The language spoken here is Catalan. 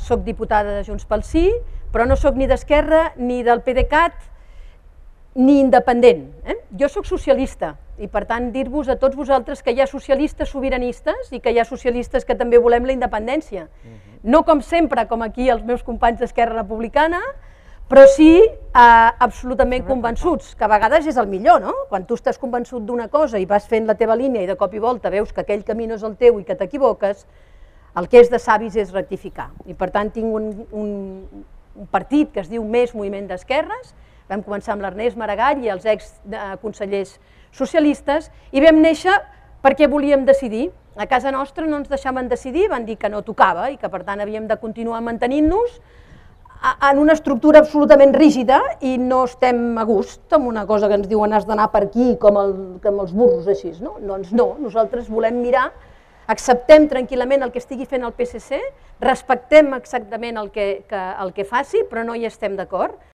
soc diputada de Junts pel Sí, però no soc ni d'Esquerra, ni del PDeCAT, ni independent. Jo soc socialista i per tant dir-vos a tots vosaltres que hi ha socialistes sobiranistes i que hi ha socialistes que també volem la independència. No com sempre, com aquí els meus companys d'Esquerra Republicana, però sí absolutament convençuts, que a vegades és el millor, no? Quan tu estàs convençut d'una cosa i vas fent la teva línia i de cop i volta veus que aquell camí no és el teu i que t'equivoques, el que és de savis és rectificar. I per tant tinc un partit que es diu Més Moviment d'Esquerres, vam començar amb l'Ernest Maragall i els exconsellers socialistes i vam néixer perquè volíem decidir. A casa nostra no ens deixaven decidir, van dir que no tocava i que per tant havíem de continuar mantenint-nos en una estructura absolutament rígida i no estem a gust amb una cosa que ens diuen has d'anar per aquí com els burros així. Doncs no, nosaltres volem mirar, acceptem tranquil·lament el que estigui fent el PSC, respectem exactament el que faci, però no hi estem d'acord.